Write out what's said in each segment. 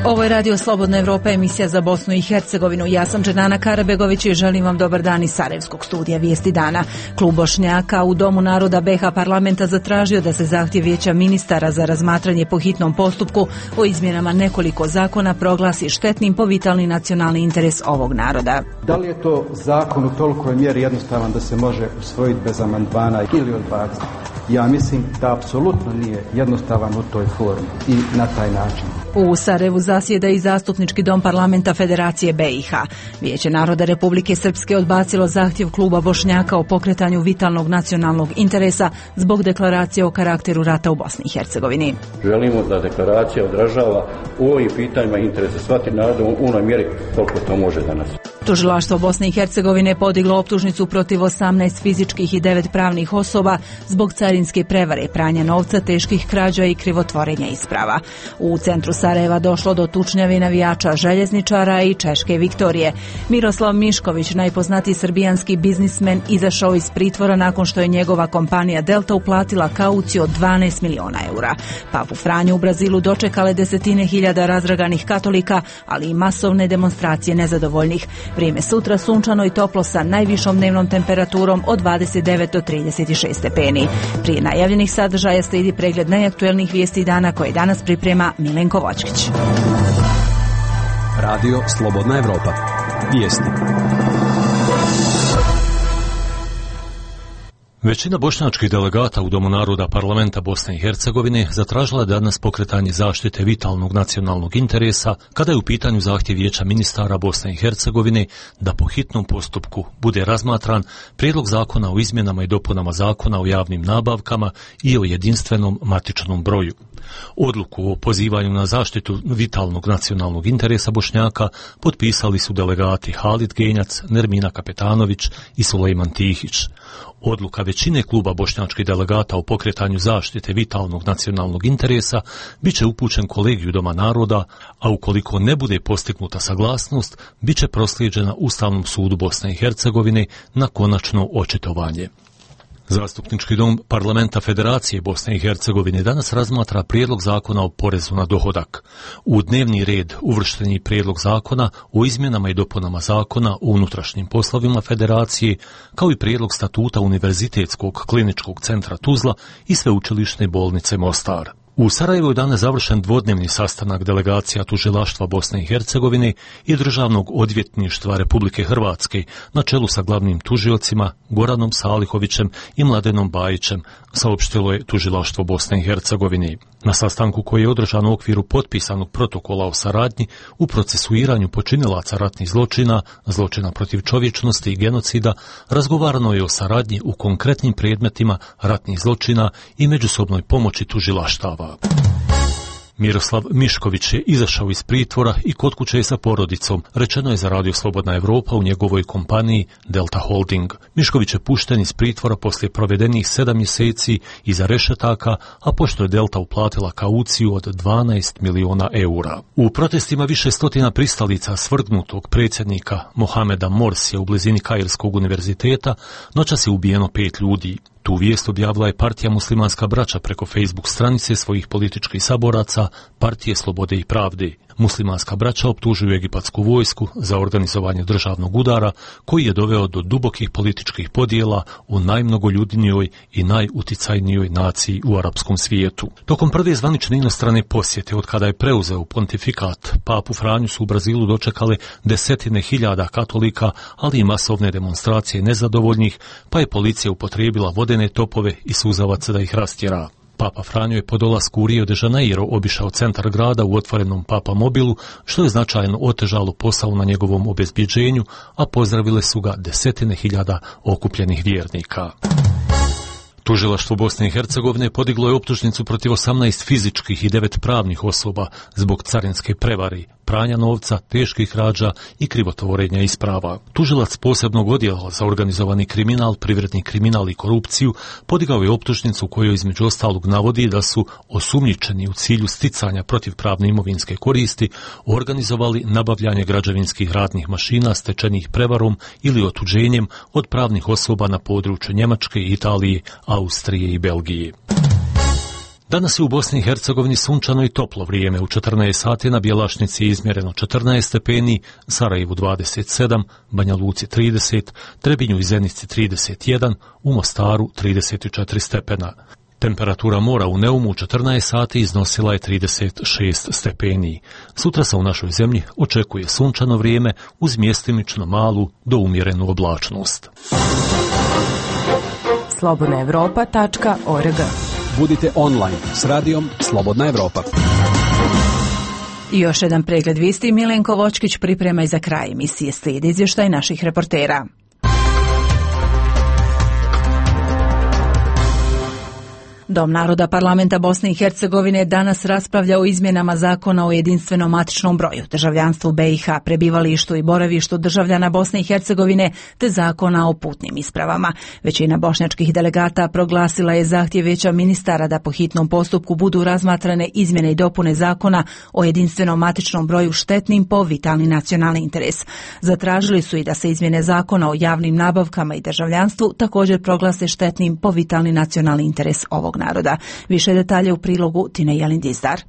Ovo je Radio Slobodna Evropa, emisija za Bosnu i Hercegovinu. Ja sam Dženana Karabegović i želim vam dobar dan iz Sarajevskog studija Vijesti dana. Klub Bošnjaka u Domu naroda BiH parlamenta zatražio da se zahtjev vijeća ministara za razmatranje po hitnom postupku o izmjenama nekoliko zakona proglasi štetnim po vitalni nacionalni interes ovog naroda. Da li je to zakon u tolikoj mjeri jednostavan da se može usvojiti bez amandmana ili odbaciti? Ja mislim da apsolutno nije jednostavan u toj formi i na taj način. U Sarajevu zasjeda i Zastupnički dom parlamenta Federacije BiH. Vijeće naroda Republike Srpske odbacilo zahtjev kluba Bošnjaka o pokretanju vitalnog nacionalnog interesa zbog deklaracije o karakteru rata u Bosni i Hercegovini. Želimo da deklaracija odražava u ovim pitanjima interese svaki narod u onoj mjeri koliko to može danas. Tužilaštvo Bosne i Hercegovine podiglo optužnicu protiv 18 fizičkih i 9 pravnih osoba zbog carinske prevare, pranja novca, teških krađa i krivotvorenja isprava. U centru Sarajeva došlo do tučnjave navijača željezničara i Češke Viktorije. Miroslav Mišković, najpoznatiji srbijanski biznismen, izašao iz pritvora nakon što je njegova kompanija Delta uplatila kauciju od 12 miliona eura. Papu Franju u Brazilu dočekale desetine hiljada razdraganih katolika, ali i masovne demonstracije nezadovoljnih. Vrijeme sutra sunčano i toplo sa najvišom dnevnom temperaturom od 29 do 36 stepeni. Prije najavljenih sadržaja slijedi pregled najaktuelnijih vijesti dana koje danas priprema Milenko Vočkić. Radio Slobodna Evropa. Vijesti. Većina bošnjačkih delegata u Domu naroda parlamenta Bosne i Hercegovine zatražila danas pokretanje zaštite vitalnog nacionalnog interesa kada je u pitanju zahtjev vijeća ministara Bosne i Hercegovine da po hitnom postupku bude razmatran prijedlog zakona o izmjenama i dopunama zakona o javnim nabavkama i o jedinstvenom matičnom broju. Odluku o pozivanju na zaštitu vitalnog nacionalnog interesa Bošnjaka potpisali su delegati Halid Genjac, Nermina Kapetanović i Sulejman Tihić. Odluka većine kluba bošnjačkih delegata o pokretanju zaštite vitalnog nacionalnog interesa biće upućen kolegiju Doma naroda, a ukoliko ne bude postignuta saglasnost, biće proslijeđena Ustavnom sudu Bosne i Hercegovine na konačno očitovanje. Zastupnički dom parlamenta Federacije Bosne i Hercegovine danas razmatra prijedlog zakona o porezu na dohodak. U dnevni red uvršten je prijedlog zakona o izmjenama i dopunama zakona o unutrašnjim poslovima Federacije, kao i prijedlog statuta Univerzitetskog kliničkog centra Tuzla i Sveučilišne bolnice Mostar. U Sarajevu je danas završen dvodnevni sastanak delegacija Tužilaštva Bosne i Hercegovine i Državnog odvjetništva Republike Hrvatske na čelu sa glavnim tužiocima Goranom Salihovićem i Mladenom Bajićem, saopštilo je Tužilaštvo Bosne i Hercegovine. Na sastanku koji je održan u okviru potpisanog protokola o saradnji u procesuiranju počinilaca ratnih zločina, zločina protiv čovječnosti i genocida, razgovarano je o saradnji u konkretnim predmetima ratnih zločina i međusobnoj pomoći tužilaštava. Miroslav Mišković je izašao iz pritvora i kod kuće je sa porodicom, rečeno je za Radio Slobodna Evropa u njegovoj kompaniji Delta Holding. Mišković je pušten iz pritvora poslije provedenih 7 mjeseci iza rešetaka, a pošto je Delta uplatila kauciju od 12 miliona eura. U protestima više stotina pristalica svrgnutog predsjednika Mohameda Morsija u blizini Kairskog univerziteta noćas je ubijeno 5 ljudi. Tu vijest objavila je partija Muslimanska braća preko Facebook stranice svojih političkih saboraca Partije Slobode i Pravde. Muslimanska braća optužuju egipatsku vojsku za organizovanje državnog udara koji je doveo do dubokih političkih podjela u najmnogoljudnijoj i najuticajnijoj naciji u arapskom svijetu. Tokom prve zvanične inostrane posjete od kada je preuzeo pontifikat, Papu Franju su u Brazilu dočekale desetine hiljada katolika, ali i masovne demonstracije nezadovoljnih, pa je policija upotrijebila vodene topove i suzavac da ih rastjera. Papa Franjo je po dolasku u Rio de Janeiro obišao centar grada u otvorenom Papa mobilu, što je značajno otežalo posao na njegovom obezbjeđenju, a pozdravile su ga desetine hiljada okupljenih vjernika. Tužilaštvo Bosne i Hercegovine podiglo je optužnicu protiv 18 fizičkih i 9 pravnih osoba zbog carinske prevare, pranja novca, teških krađa i krivotvorenja isprava. Tužilac posebnog odjela za organizovani kriminal, privredni kriminal i korupciju podigao je optužnicu u kojoj između ostalog navodi da su osumnjičeni u cilju sticanja protivpravne imovinske koristi organizovali nabavljanje građevinskih radnih mašina stečenih prevarom ili otuđenjem od pravnih osoba na području Njemačke, Italije, Austrije i Belgije. Danas je u Bosni i Hercegovini sunčano i toplo vrijeme. U 14 sati na Bjelašnici je izmjereno 14 stepeni, Sarajevu 27, Banja Luci 30, Trebinju i Zenici 31, u Mostaru 34 stepena. Temperatura mora u Neumu u 14 sati iznosila je 36 stepeni. Sutra se u našoj zemlji očekuje sunčano vrijeme uz mjestimično malu do umjerenu oblačnost. slobodnaevropa.org. Budite online s radijom Slobodna Evropa. I još jedan pregled vijesti. Milenko Vočkić priprema i za kraj emisije. Slijedi izvještaj naših reportera. Dom naroda Parlamenta Bosne i Hercegovine danas raspravlja o izmjenama zakona o jedinstvenom matičnom broju, državljanstvu BiH, prebivalištu i boravištu državljana Bosne i Hercegovine te zakona o putnim ispravama. Većina bošnjačkih delegata proglasila je zahtjev Vijeća ministara da po hitnom postupku budu razmatrane izmjene i dopune zakona o jedinstvenom matičnom broju štetnim po vitalni nacionalni interes. Zatražili su i da se izmjene zakona o javnim nabavkama i državljanstvu također proglase štetnim po vitalni nacionalni interes ovog naroda. Više detalje u prilogu Tine Jelindizdar.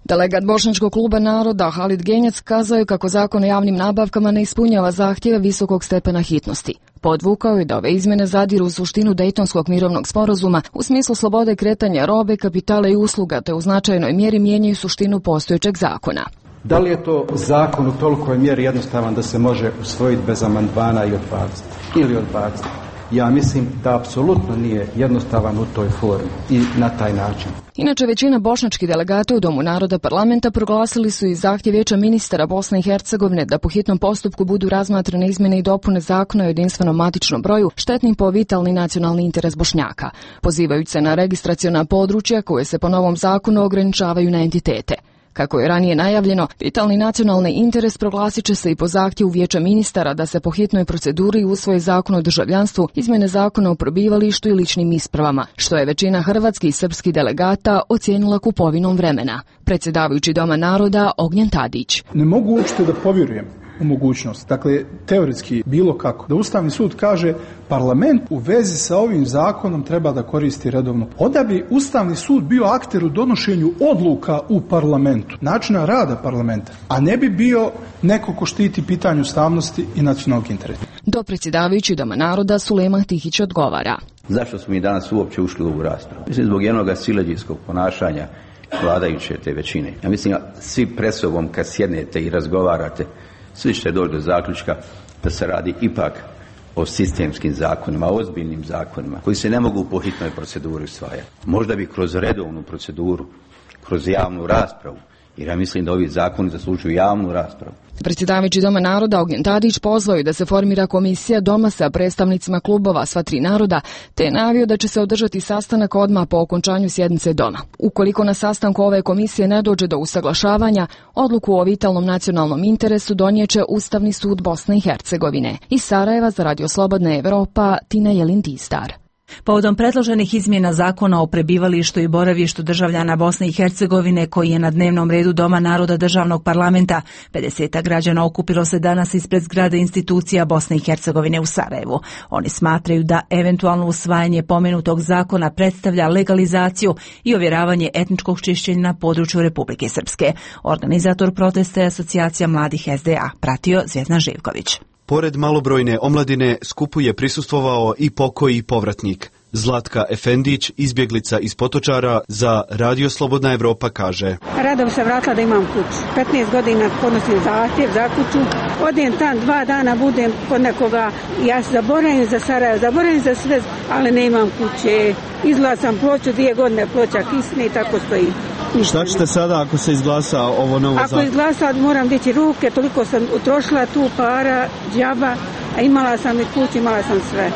Delegat Bošnjačkog kluba naroda Halid Genjac kazao je kako zakon o javnim nabavkama ne ispunjava zahtjeve visokog stepena hitnosti. Podvukao je da ove izmjene zadiru u suštinu Dejtonskog mirovnog sporazuma u smislu slobode kretanja robe, kapitala i usluga, te u značajnoj mjeri mijenjaju suštinu postojećeg zakona. Da li je to zakon u tolikoj mjeri jednostavan da se može usvojiti bez amandmana i odbaciti? Ja mislim da apsolutno nije jednostavan u toj formi i na taj način. Inače, većina bošnjačkih delegata u Domu naroda Parlamenta proglasili su i zahtjev Vijeća ministara Bosne i Hercegovine da po hitnom postupku budu razmatrane izmjene i dopune zakona o jedinstvenom matičnom broju štetnim po vitalni nacionalni interes Bošnjaka, pozivajući se na registraciona područja koje se po novom zakonu ograničavaju na entitete. Kako je ranije najavljeno, vitalni nacionalni interes proglasit će se i po zahtjevu Vijeća ministara da se po hitnoj proceduri usvoje zakon o državljanstvu, izmjene zakona o prebivalištu i ličnim ispravama, što je većina hrvatskih i srpskih delegata ocijenila kupovinom vremena. Predsjedavajući Doma naroda Ognjen Tadić. Ne mogu uopšte da povjerujem u mogućnost, dakle teoretski bilo kako, da Ustavni sud kaže parlament u vezi sa ovim zakonom treba da koristi redovno. Onda bi Ustavni sud bio akter u donošenju odluka u parlamentu, načina rada parlamenta, a ne bi bio neko ko štiti pitanje ustavnosti i nacionalnog interesa. Dopredsjedavajući Doma naroda Sulejman Tihić odgovara. Zašto smo mi danas uopće ušli u ovu raspravu? Mislim zbog jednog siledžijskog ponašanja vladajuće te većine. Ja mislim svi pred sobom kad sjednete i razgovarate, svi ćete doći do zaključka da se radi ipak o sistemskim zakonima, o ozbiljnim zakonima koji se ne mogu po hitnoj proceduri usvajati. Možda bi kroz redovnu proceduru, kroz javnu raspravu, jer ja mislim da ovi zakoni zaslužuju javnu raspravu. Predsjedavajući Doma naroda Ognjen Tadić pozvao je da se formira komisija Doma sa predstavnicima klubova sva tri naroda, te je najavio da će se održati sastanak odmah po okončanju sjednice Doma. Ukoliko na sastanku ove komisije ne dođe do usaglašavanja, odluku o vitalnom nacionalnom interesu donijeće Ustavni sud Bosne i Hercegovine. Iz Sarajeva za Radio Slobodna Evropa, Tina Jelindizdar. Povodom predloženih izmjena zakona o prebivalištu i boravištu državljana Bosne i Hercegovine koji je na dnevnom redu Doma naroda državnog parlamenta, 50 građana okupilo se danas ispred zgrade institucija Bosne i Hercegovine u Sarajevu. Oni smatraju da eventualno usvajanje pomenutog zakona predstavlja legalizaciju i ovjeravanje etničkog čišćenja na području Republike Srpske. Organizator protesta je Asocijacija mladih SDA, pratio Zvjezdan Živković. Pored malobrojne omladine, skupu je prisustvovao i pokoji povratnik. Zlatka Efendić, izbjeglica iz Potočara, za Radio Slobodna Evropa kaže: Rado bi se vratila da imam kuću. 15 godina podnosim zahtjev za kuću. Odem tam 2 dana, budem kod nekoga. Ja se zaboravim za Sarajevo, zaboravim za sve, ali ne imam kuće. Izgleda sam ploču, 2 godine ploča kisne i tako stoji. Šta ćete sada ako se izglasa ovo novo zakon? Ako izglasa, moram dići ruke, toliko sam utrošila tu para, džaba, a imala sam i kuću, imala sam sve.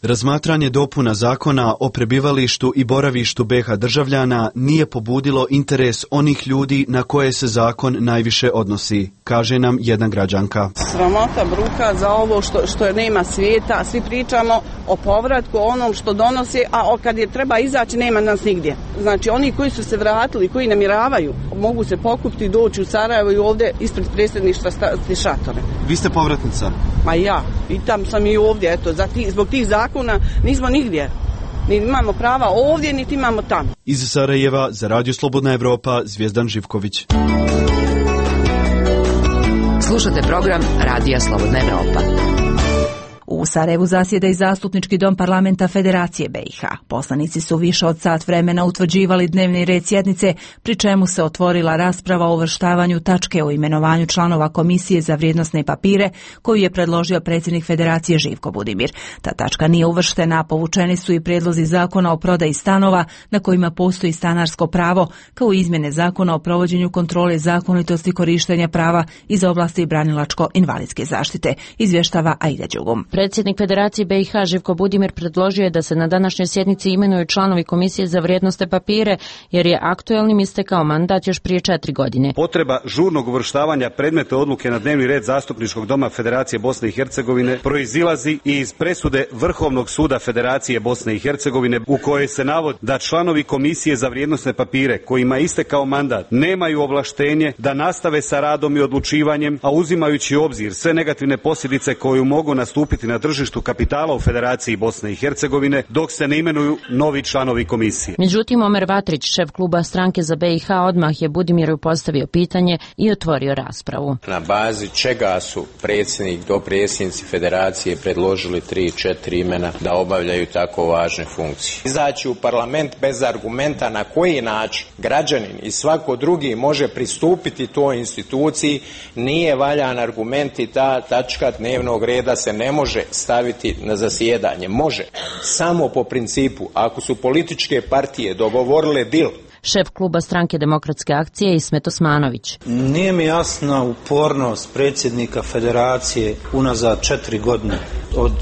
Razmatranje dopuna zakona o prebivalištu i boravištu BiH državljana nije pobudilo interes onih ljudi na koje se zakon najviše odnosi, kaže nam jedna građanka. Sramota, bruka za ovo što nema svijeta, svi pričamo o povratku, o onom što donosi, a kad je treba izaći nema nas nigdje. Znači oni koji su se vratili, koji namiravaju, mogu se pokupiti, doći u Sarajevo i ovdje ispred predsjedništva staviti šatore. Vi ste povratnica? Ma ja, i tam sam i ovdje, eto, zbog tih zakona nismo nigdje. Ni imamo prava ovdje, niti imamo tamo. Iz Sarajeva za Radio Slobodna Evropa, Zvijezdan Živković. Slušate program Radija Slobodna Evropa. U Sarajevu zasjeda i Zastupnički dom parlamenta Federacije BiH. Poslanici su više od sat vremena utvrđivali dnevni red sjednice, pri čemu se otvorila rasprava o uvrštavanju tačke o imenovanju članova Komisije za vrijednosne papire, koju je predložio predsjednik Federacije Živko Budimir. Ta tačka nije uvrštena, a povučeni su i prijedlozi zakona o prodaji stanova na kojima postoji stanarsko pravo, kao i izmjene zakona o provođenju kontrole zakonitosti korištenja prava iz oblasti branilačko-invalidske zaštite, izvještava Aida Đugum. Predsjednik Federacije BiH Živko Budimir predložio je da se na današnjoj sjednici imenuju članovi Komisije za vrijednosne papire, jer je aktuelnim istekao mandat još prije 4 godine. Potreba žurnog uvrštavanja predmeta odluke na dnevni red Zastupničkog doma Federacije Bosne i Hercegovine proizilazi iz presude Vrhovnog suda Federacije Bosne i Hercegovine, u kojoj se navodi da članovi Komisije za vrijednosne papire kojima je istekao mandat nemaju ovlaštenje da nastave sa radom i odlučivanjem, a uzimajući u obzir sve negativne posljedice koje mogu nastupiti na tržištu kapitala u Federaciji Bosne i Hercegovine, dok se ne imenuju novi članovi komisije. Međutim, Omer Vatrić, šef kluba Stranke za BiH, odmah je Budimiru postavio pitanje i otvorio raspravu. Na bazi čega su predsjednik, dopredsjednici Federacije predložili 3-4 imena da obavljaju tako važne funkcije? Izaći u parlament bez argumenta na koji način građanin i svako drugi može pristupiti toj instituciji nije valjan argument i ta tačka dnevnog reda se ne može staviti na zasjedanje. Može. Samo po principu, ako su političke partije dogovorile dil. Šef kluba Stranke demokratske akcije Ismet Osmanović. Nije mi jasna upornost predsjednika Federacije unazad 4 godine. Od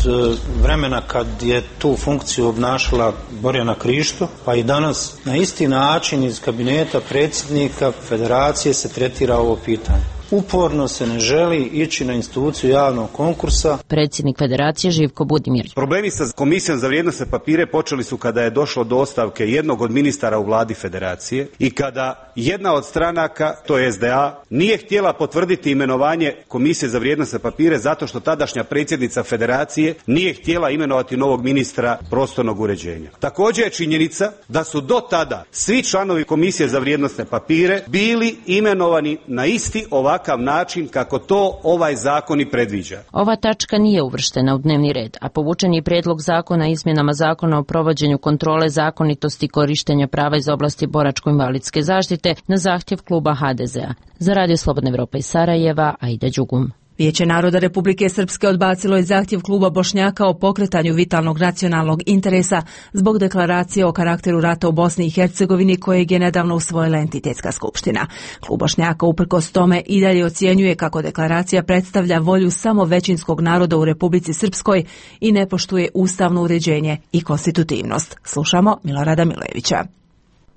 vremena kad je tu funkciju obnašala Borjana Krišto, pa i danas na isti način iz kabineta predsjednika Federacije se tretira ovo pitanje. Uporno se ne želi ići na instituciju javnog konkursa. Predsjednik Federacije Živko Budimir. Problemi sa Komisijom za vrijednosne papire počeli su kada je došlo do ostavke jednog od ministara u vladi Federacije i kada jedna od stranaka, to je SDA, nije htjela potvrditi imenovanje Komisije za vrijednosne papire zato što tadašnja predsjednica Federacije nije htjela imenovati novog ministra prostornog uređenja. Također je činjenica da su do tada svi članovi Komisije za vrijednosne papire bili imenovani na isti ovakav način kako to ovaj zakon i predviđa. Ova tačka nije uvrštena u dnevni red, a povučen je prijedlog zakona o izmjenama zakona o provođenju kontrole zakonitosti korištenja prava iz oblasti boračko-invalidske zaštite na zahtjev kluba HDZ-a. Za Radio Slobodna Evropa iz Sarajeva, Aida Đugum. Vijeće naroda Republike Srpske odbacilo je zahtjev kluba Bošnjaka o pokretanju vitalnog nacionalnog interesa zbog deklaracije o karakteru rata u Bosni i Hercegovini kojeg je nedavno usvojila entitetska skupština. Klub Bošnjaka uprkos tome i dalje ocjenjuje kako deklaracija predstavlja volju samo većinskog naroda u Republici Srpskoj i ne poštuje ustavno uređenje i konstitutivnost. Slušamo Milorada Milojevića.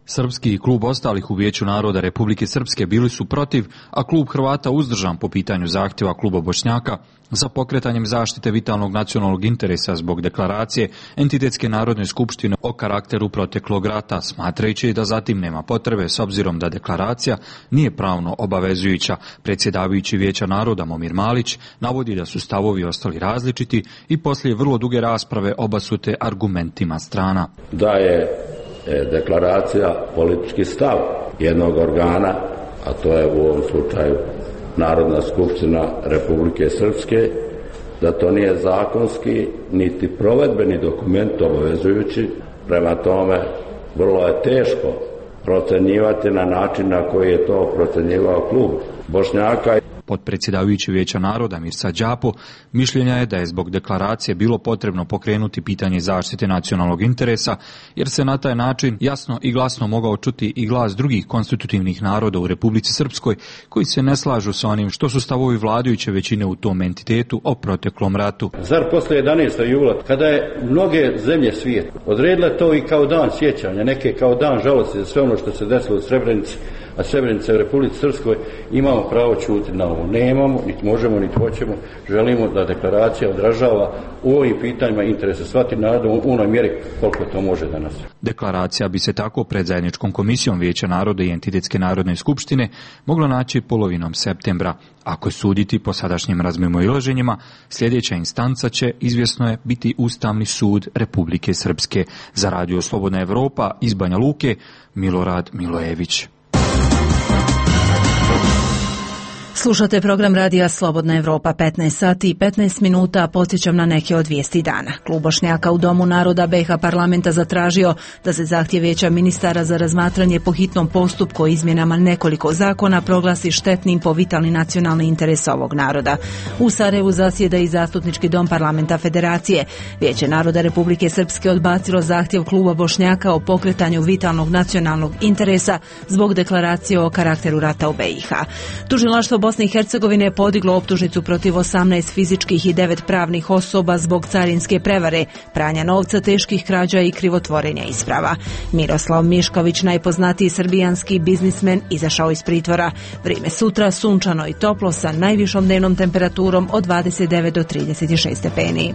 Srpski i klub ostalih u Vijeću naroda Republike Srpske bili su protiv, a klub Hrvata uzdržan po pitanju zahtjeva kluba Bošnjaka za pokretanjem zaštite vitalnog nacionalnog interesa zbog deklaracije Entitetske narodne skupštine o karakteru proteklog rata, smatrajući da zatim nema potrebe s obzirom da deklaracija nije pravno obavezujuća. Predsjedavajući Vijeća naroda Momir Malić navodi da su stavovi ostali različiti i poslije vrlo duge rasprave obasute argumentima strana. Da je deklaracija politički stav jednog organa, a to je u ovom slučaju Narodna skupština Republike Srpske, da to nije zakonski niti provedbeni dokument obavezujući. Prema tome, vrlo je teško procenjivati na način na koji je to procenjivao klub Bošnjaka. Potpredsjedavajući Vijeća naroda Mirsa Đapo mišljenja je da je zbog deklaracije bilo potrebno pokrenuti pitanje zaštite nacionalnog interesa, jer se na taj način jasno i glasno mogao čuti i glas drugih konstitutivnih naroda u Republici Srpskoj koji se ne slažu sa onim što su stavovi vladajuće većine u tom entitetu o proteklom ratu. Zar posle 11. jula, kada je mnoge zemlje svijeta odredile to i kao dan sjećanja, neke kao dan žalosti za sve ono što se desilo u Srebrenici, a Srebrenica u Republici Srpskoj, imamo pravo čuti na ovo. Nemamo, niti možemo, niti hoćemo. Želimo da deklaracija odražava u ovim pitanjima interesa svati naroda u onoj mjeri koliko to može danas. Deklaracija bi se tako pred zajedničkom komisijom Vijeća naroda i Entitetske narodne skupštine mogla naći polovinom septembra. Ako je suditi po sadašnjim razmimoilaženjima, sljedeća instanca će, izvjesno je, biti Ustavni sud Republike Srpske. Za Radio Slobodna Evropa iz Banja Luke, Milorad Milojević. Slušate program Radija Slobodna Evropa, 15 sati i 15 minuta, podsjećam na neke od vijesti dana. Klub Bošnjaka u Domu naroda BiH parlamenta zatražio da se zahtjev Vijeća ministara za razmatranje po hitnom postupku o izmjenama nekoliko zakona proglasi štetnim po vitalni nacionalni interes ovog naroda. U Sarajevu zasjeda i Zastupnički dom parlamenta Federacije. Vijeće naroda Republike Srpske odbacilo zahtjev kluba Bošnjaka o pokretanju vitalnog nacionalnog interesa zbog deklaracije o karakteru rata u BiH. Tužilaštvo Bosne i Hercegovine je podiglo optužnicu protiv 18 fizičkih i 9 pravnih osoba zbog carinske prevare, pranja novca, teških krađa i krivotvorenja isprava. Miroslav Mišković, najpoznatiji srbijanski biznismen, izašao iz pritvora. Vrijeme sutra sunčano i toplo sa najvišom dnevnom temperaturom od 29 do 36 stepeni.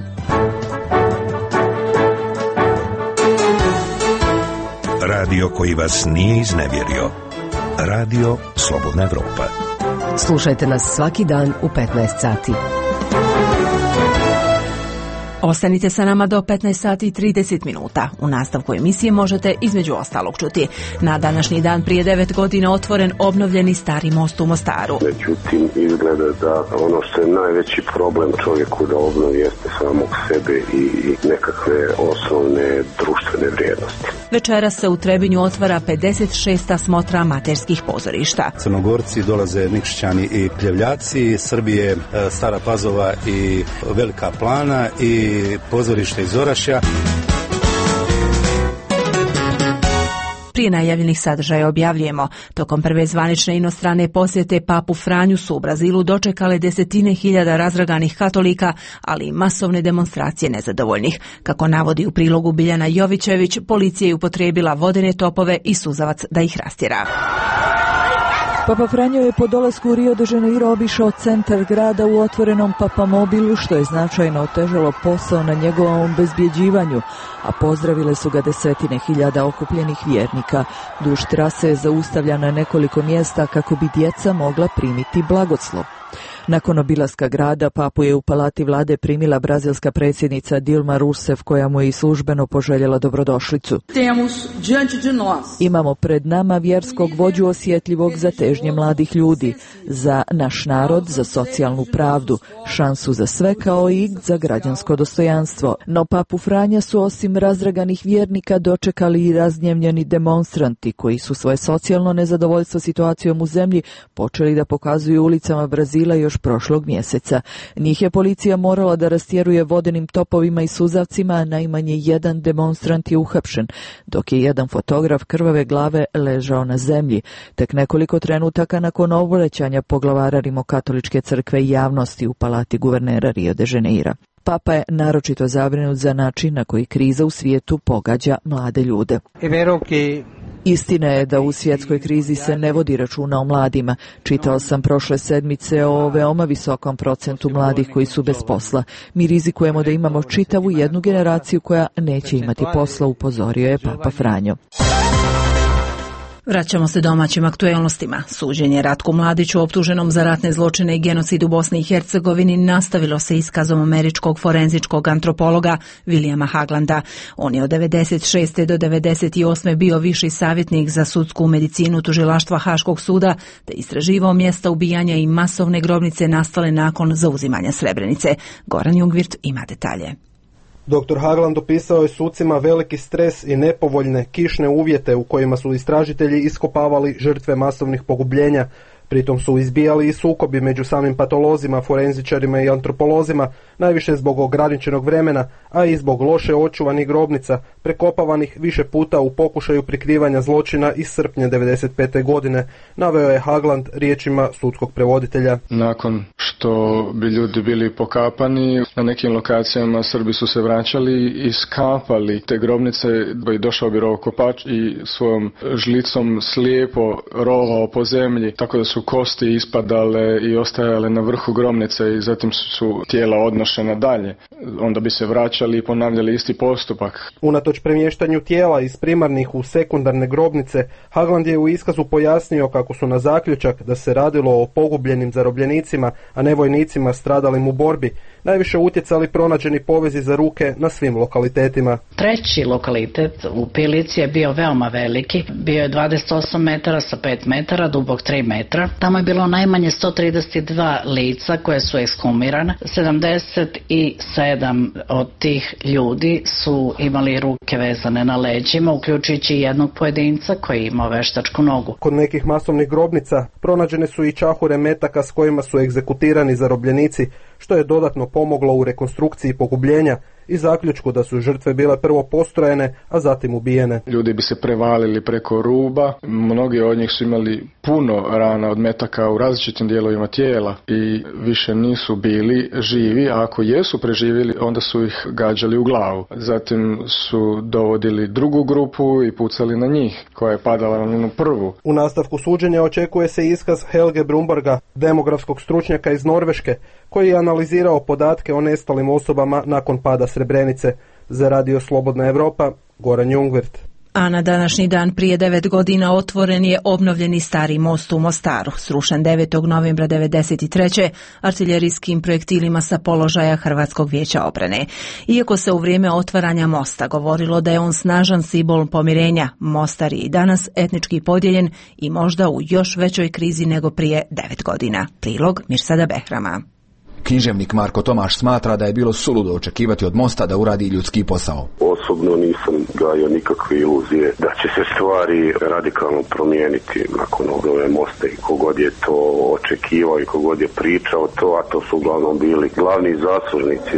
Radio koji vas nije iznevjerio. Radio Slobodna Evropa. Slušajte nas svaki dan u 15 sati. Ostanite sa nama do 15 sati i 30 minuta. U nastavku emisije možete između ostalog čuti: na današnji dan prije 9 godina otvoren obnovljeni stari most u Mostaru. Međutim, izgleda da ono što je najveći problem čovjeku da obnovi jeste samog sebe i nekakve osnovne društvene vrijednosti. Večeras se u Trebinju otvara 56. smotra amaterskih pozorišta. Crnogorci dolaze Nikšićani i Pljevljaci, Srbije, Stara Pazova i Velika Plana i pozorište iz Orašja. Prije najavljenih sadržaja objavljujemo: tokom prve zvanične inostrane posjete Papu Franju su u Brazilu dočekale desetine hiljada razdraganih katolika, ali i masovne demonstracije nezadovoljnih. Kako navodi u prilogu Biljana Jovićević, policija je upotrijebila vodene topove i suzavac da ih rastjera. Papa Franjo je po dolasku u Rio de Janeiro obišao centar grada u otvorenom papamobilu, što je značajno otežalo posao na njegovom obezbjeđivanju, a pozdravile su ga desetine hiljada okupljenih vjernika. Duž trase je zaustavljana na nekoliko mjesta kako bi djeca mogla primiti blagoslov. Nakon obilaska grada, papu je u palati vlade primila brazilska predsjednica Dilma Rousseff, koja mu je i službeno poželjela dobrodošlicu. Imamo pred nama vjerskog vođu osjetljivog za težnje mladih ljudi, za naš narod, za socijalnu pravdu, šansu za sve kao i za građansko dostojanstvo. No papu Franja su osim razdraganih vjernika dočekali i razgnjevljeni demonstranti koji su svoje socijalno nezadovoljstvo situacijom u zemlji počeli da pokazuju ulicama Brazila još prošlog mjeseca. Njih je policija morala da rastjeruje vodenim topovima i suzavcima, a najmanje jedan demonstrant je uhapšen, dok je jedan fotograf krvave glave ležao na zemlji. Tek nekoliko trenutaka nakon obraćanja poglavara Rimokatoličke crkve i javnosti u palati guvernera Rio de Janeira. Papa je naročito zabrinut za način na koji kriza u svijetu pogađa mlade ljude. Istina je da u svjetskoj krizi se ne vodi računa o mladima. Čitao sam prošle sedmice o veoma visokom procentu mladih koji su bez posla. Mi rizikujemo da imamo čitavu jednu generaciju koja neće imati posla, upozorio je Papa Franjo. Vraćamo se domaćim aktuelnostima. Suđenje Ratku Mladiću, optuženom za ratne zločine i genocid u Bosni i Hercegovini, nastavilo se iskazom američkog forenzičkog antropologa Williama Haglanda. On je od 96. do 98. bio viši savjetnik za sudsku medicinu tužilaštva Haškog suda, te istraživao mjesta ubijanja i masovne grobnice nastale nakon zauzimanja Srebrenice. Goran Jungvirt ima detalje. Dr. Hagland opisao je sucima veliki stres i nepovoljne kišne uvjete u kojima su istražitelji iskopavali žrtve masovnih pogubljenja. Pritom su izbijali i sukobi među samim patolozima, forenzičarima i antropolozima, najviše zbog ograničenog vremena, a i zbog loše očuvanih grobnica, prekopavanih više puta u pokušaju prikrivanja zločina iz srpnja 1995. godine, naveo je Hagland riječima sudskog prevoditelja. Nakon što bi ljudi bili pokapani, na nekim lokacijama Srbi su se vraćali i skapali te grobnice, i došao bi rovokopač i svojom žlicom slijepo rovao po zemlji, tako da su kosti ispadale i ostajale na vrhu grobnice i zatim su tijela odnošena dalje. Onda bi se vraćali i ponavljali isti postupak. Unatoč premještanju tijela iz primarnih u sekundarne grobnice, Hagland je u iskazu pojasnio kako su na zaključak da se radilo o pogubljenim zarobljenicima, a ne vojnicima stradalim u borbi, najviše utjecali pronađeni povezi za ruke na svim lokalitetima. Treći lokalitet u Pilici je bio veoma veliki, bio je 28 metara sa 5 metara, dubok 3 metra. Tamo je bilo najmanje 132 lica koje su ekshumirane. 77 od tih ljudi su imali ruke vezane na leđima, uključujući jednog pojedinca koji imao veštačku nogu. Kod nekih masovnih grobnica pronađene su i čahure metaka s kojima su egzekutirani zarobljenici, što je dodatno pomoglo u rekonstrukciji pogubljenja i zaključku da su žrtve bile prvo postrojene, a zatim ubijene. Ljudi bi se prevalili preko ruba, mnogi od njih su imali puno rana od metaka u različitim dijelovima tijela i više nisu bili živi, a ako jesu preživjeli, onda su ih gađali u glavu. Zatim su dovodili drugu grupu i pucali na njih, koja je padala na onu prvu. U nastavku suđenja očekuje se iskaz Helge Brumborga, demografskog stručnjaka iz Norveške, koji je analizirao podatke o nestalim osobama nakon pada Srebrenice. Za Radio Slobodna Evropa, Goran Jungwirth. A na današnji dan prije 9 godina otvoren je obnovljeni stari most u Mostaru, srušen 9. novembra 1993. artiljerijskim projektilima sa položaja Hrvatskog vijeća obrane. Iako se u vrijeme otvaranja mosta govorilo da je on snažan simbol pomirenja, Mostar je i danas etnički podijeljen i možda u još većoj krizi nego prije 9 godina. Prilog Mirsada Behrama. Književnik Marko Tomaš smatra da je bilo suludo očekivati od mosta da uradi ljudski posao. Osobno nisam gajio nikakve iluzije da će se stvari radikalno promijeniti nakon obnove mosta i kogod je to očekivao i kogod je pričao to, a to su uglavnom bili glavni zaslužnici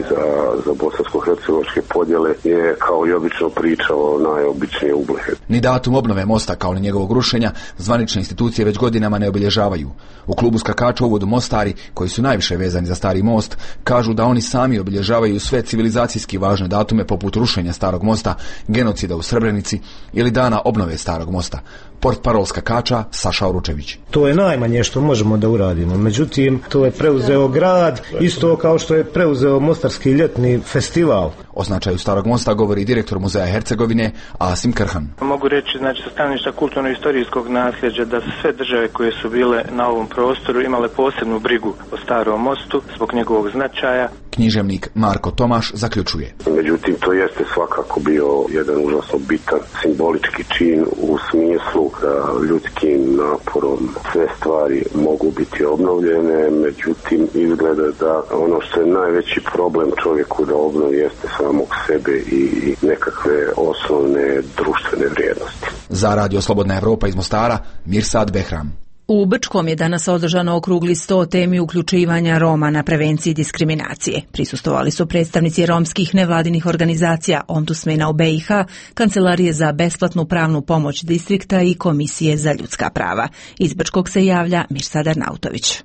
za bosansko-hercegovačke podjele, je kao i obično pričao najobičnije ublehe. Ni datum obnove mosta kao ni njegovog rušenja zvanične institucije već godinama ne obilježavaju. U klubu skakača uvodu Mostari, koji su najviše vezani za Stari most, kažu da oni sami obilježavaju sve civilizacijski važne datume poput rušenja Starog mosta, genocida u Srebrenici ili dana obnove Starog mosta. Portparol skakača Saša Oručević. To je najmanje što možemo da uradimo. Međutim, to je preuzeo grad, isto kao što je preuzeo Mostarski ljetni festival. O značaju Starog mosta govori direktor Muzeja Hercegovine Asim Krhan. Mogu reći, sa stanovišta kulturno-istorijskog nasljeđa, da sve države koje su bile na ovom prostoru imale posebnu brigu o Starom mostu zbog njegovog značaja. Književnik Marko Tomaš zaključuje. Međutim, to jeste svakako bio jedan užasno bitan simbolički čin u smislu da ljudskim naporom sve stvari mogu biti obnovljene, međutim izgleda da ono što je najveći problem čovjeku da obnovi jeste samog sebe i nekakve osnovne društvene vrijednosti. Za Radio Slobodna Evropa iz Mostara, Mirsad Behram. U Brčkom je danas održano okrugli sto o temi uključivanja Roma na prevenciji diskriminacije. Prisustvovali su predstavnici romskih nevladinih organizacija, ombudsmena u BiH, Kancelarije za besplatnu pravnu pomoć distrikta i Komisije za ljudska prava. Iz Brčkog se javlja Mirsad Arnautović.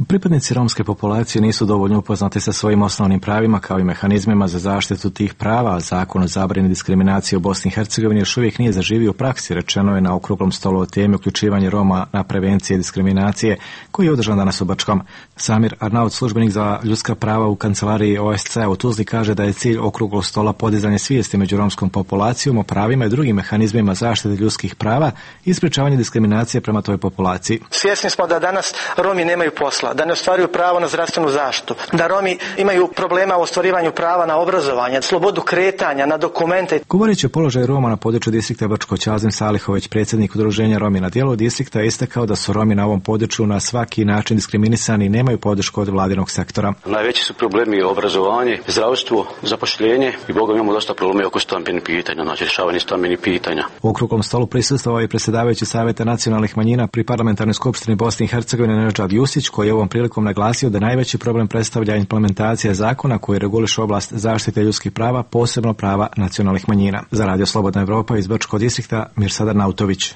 Pripadnici romske populacije nisu dovoljno upoznati sa svojim osnovnim pravima kao i mehanizmima za zaštitu tih prava. Zakon o zabrani diskriminacije u Bosni i Hercegovini još uvijek nije zaživio u praksi, rečeno je na okruglom stolu o temi uključivanje Roma na prevencije diskriminacije koji je održan danas u Brčkom. Samir Arnaut, službenik za ljudska prava u kancelariji OSCE u Tuzli, kaže da je cilj okruglog stola podizanje svijesti među romskom populacijom o pravima i drugim mehanizmima zaštite ljudskih prava i sprečavanje diskriminacije prema toj populaciji. Svjesni smo da danas Romi nemaju posla. domova, da ne ostvaruju pravo na zdravstvenu zaštitu, da Romi imaju problema u ostvarivanju prava na obrazovanje, slobodu kretanja, na dokumente. Govoreći o položaju Roma na području distrikta Brčko, Ćazim Salihović, predsjednik udruženja Romi na dijelu distrikta, je istakao da su Romi na ovom području na svaki način diskriminisani i nemaju podršku od vladinog sektora. Najveći su problemi obrazovanje, zdravstvo, zapošljenje i Boga imamo dosta problema oko stambenih pitanja, znači rješavanje stambenih pitanja. U okruglom stolu prisustvovao je predsjedavajući Savjeta nacionalnih manjina pri Parlamentarnoj skupštini Bosne i Hercegovine Nedžad Jusić, koji je ovom prilikom naglasio da najveći problem predstavlja implementacija zakona koji reguliše oblast zaštite ljudskih prava, posebno prava nacionalnih manjina. Za Radio Slobodna Evropa iz Brčkog distrikta Mirsadar Nautović.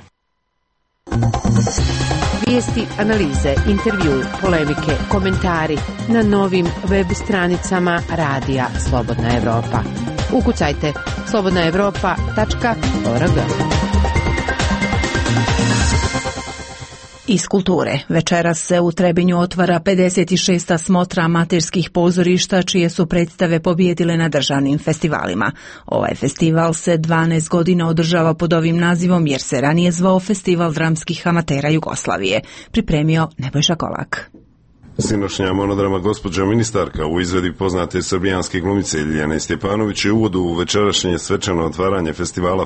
Vijesti, analize, intervju, polemike, komentari na novim web stranicama Radija Slobodna Evropa. Ukucajte slobodnaevropa.org. Iz kulture. Večeras se u Trebinju otvara 56. smotra amaterskih pozorišta čije su predstave pobijedile na državnim festivalima. Ovaj festival se 12 godina održava pod ovim nazivom jer se ranije zvao Festival dramskih amatera Jugoslavije. Pripremio Nebojša Kolak. Sinošnja monodrama Gospođa ministarka u izvedbi poznate srbijanske glumice Ljiljane Stjepanović je uvod u večerašnje svečano otvaranje festivala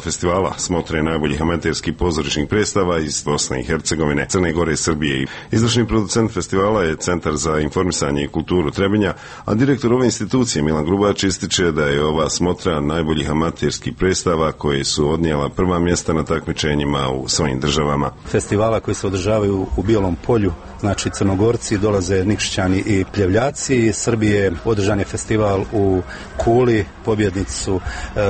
smotre najboljih amaterskih pozorišnih predstava iz Bosne i Hercegovine, Crne Gore i Srbije. Izvršni producent festivala je Centar za informisanje i kulturu Trebinja, a direktor ove institucije Milan Grubač ističe da je ova smotra najboljih amaterskih predstava koje su odnijela prva mjesta na takmičenjima u svojim državama. Festivala koji se održavaju u Bijelom polju, znači Crnogorci, dolaze Nikšićani i Pljevljaci. Iz Srbije održan je festival u Kuli, pobjednici su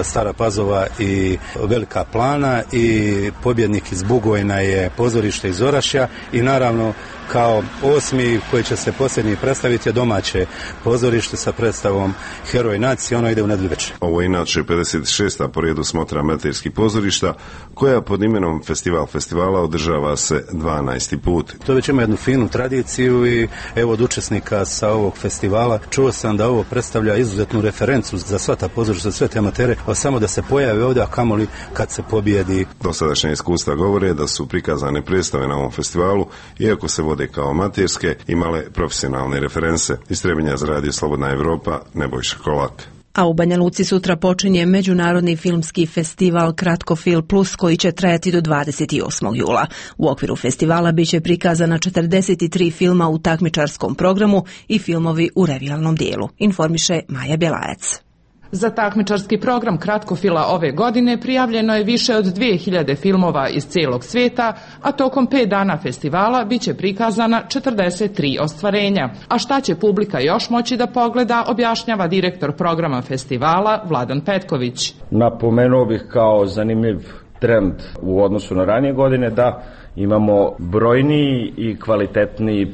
Stara Pazova i Velika Plana i pobjednik iz Bugojna je pozorište iz Orašja i naravno kao osmi koji će se posljednji predstaviti je domaće pozorište sa predstavom Heroj nacije, ono ide u nedelju večer. Ovo je inače 56. po redu smotra amaterskih pozorišta koja pod imenom festivala održava se 12. put. To već ima jednu finu tradiciju i evo od učesnika sa ovog festivala čuo sam da ovo predstavlja izuzetnu referencu za sva ta pozorišta, za sve te amatere, a samo da se pojave ovdje, a kamoli kad se pobjedi. Dosadašnja iskustva govore da su prikazane predstave na ovom festivalu, iako se vode kao amaterske, imale profesionalne reference. Iz Trebinja za Radio Slobodna Evropa, Nebojša Kolak. A u Banja Luci sutra počinje Međunarodni filmski festival Kratkofil Plus koji će trajati do 28. jula. U okviru festivala biće prikazana 43 filma u takmičarskom programu i filmovi u revijalnom dijelu, informiše Maja Bjelajac. Za takmičarski program Kratkofila ove godine prijavljeno je više od 2000 filmova iz cijelog svijeta, a tokom 5 dana festivala biće prikazana 43 ostvarenja. A šta će publika još moći da pogleda, objašnjava direktor programa festivala Vladan Petković. Napomenuo bih kao zanimljiv trend u odnosu na ranije godine da imamo brojniji i kvalitetniji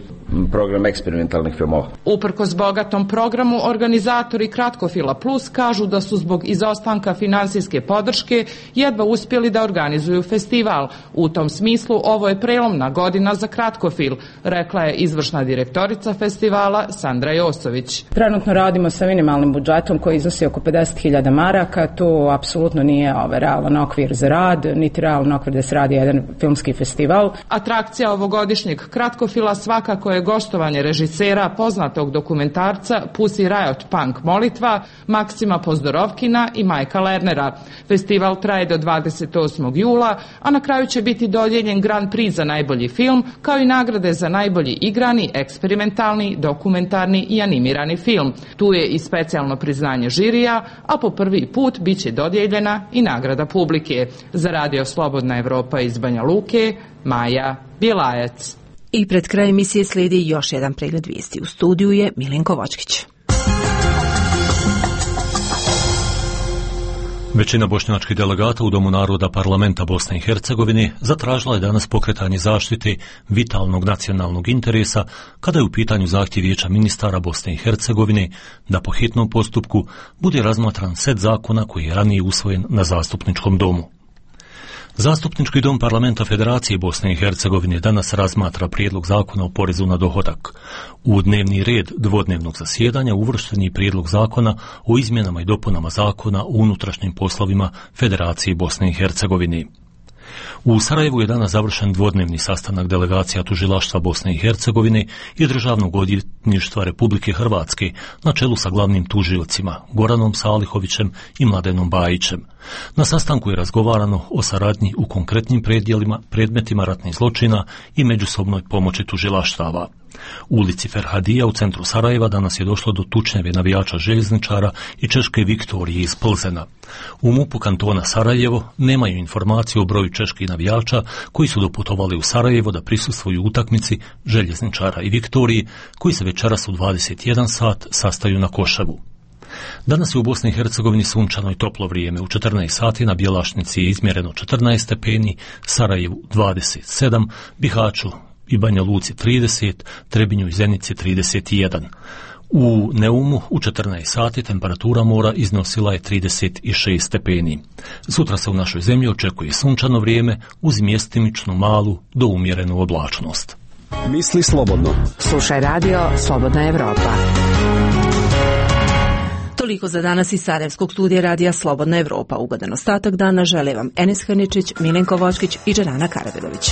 program eksperimentalnih filmova. Uprkos bogatom programu, organizatori Kratkofila Plus kažu da su zbog izostanka finansijske podrške jedva uspjeli da organizuju festival. U tom smislu ovo je prelomna godina za Kratkofil, rekla je izvršna direktorica festivala Sandra Josović. Trenutno radimo sa minimalnim budžetom koji iznosi oko 50.000 maraka, to apsolutno nije realan okvir za rad, niti realan okvir da se radi jedan filmski festival. Atrakcija ovogodišnjeg Kratkofila svakako je gostovanje režisera poznatog dokumentarca Pussy Riot Punk Molitva, Maksima Pozdorovkina i Majka Lernera. Festival traje do 28. jula, a na kraju će biti dodijeljen Grand Prix za najbolji film, kao i nagrade za najbolji igrani, eksperimentalni, dokumentarni i animirani film. Tu je i specijalno priznanje žirija, a po prvi put bit će dodijeljena i nagrada publike. Za Radio Slobodna Evropa iz Banja Luke, Maja Bjelajac. I pred kraj emisije slijedi još jedan pregled vijesti. U studiju je Milenko Vočkić. Većina bošnjačkih delegata u Domu naroda Parlamenta Bosne i Hercegovine zatražila je danas pokretanje zaštite vitalnog nacionalnog interesa kada je u pitanju zahtjev Vijeća ministara Bosne i Hercegovine da po hitnom postupku bude razmatran set zakona koji je ranije usvojen na zastupničkom domu. Zastupnički dom Parlamenta Federacije Bosne i Hercegovine danas razmatra prijedlog zakona o porezu na dohodak. U dnevni red dvodnevnog zasjedanja uvršten je prijedlog zakona o izmjenama i dopunama zakona o unutrašnjim poslovima Federacije Bosne i Hercegovine. U Sarajevu je danas završen dvodnevni sastanak delegacija tužilaštva Bosne i Hercegovine i Državnog odvjetništva Republike Hrvatske na čelu sa glavnim tužiocima Goranom Salihovićem i Mladenom Bajićem. Na sastanku je razgovarano o saradnji u konkretnim predmetima ratnih zločina i međusobnoj pomoći tužilaštava. U ulici Ferhadija u centru Sarajeva danas je došlo do tučnjave navijača željezničara i češke Viktorije iz Plzena. U MUP-u kantona Sarajevo nemaju informacije o broju čeških navijača koji su doputovali u Sarajevo da prisustvuju utakmici željezničara i Viktorije koji se večeras u 21 sat sastaju na Koševu. Danas je u Bosni i Hercegovini sunčano i toplo vrijeme. U 14 sati na Bjelašnici je izmjereno 14 stepeni, Sarajevu 27, Bihaću i Banja Luci 30, Trebinju i Zenici 31. U Neumu u 14 sati temperatura mora iznosila je 36 stepeni. Sutra se u našoj zemlji očekuje sunčano vrijeme uz mjestimičnu malu do umjerenu oblačnost. Misli slobodno. Slušaj radio Slobodna Evropa. Toliko za danas iz Sarajevskog studija radija Slobodna Evropa. Ugodan ostatak dana žele vam Enes Hrničić, Milenko Vočkić i Džerana Karabegović.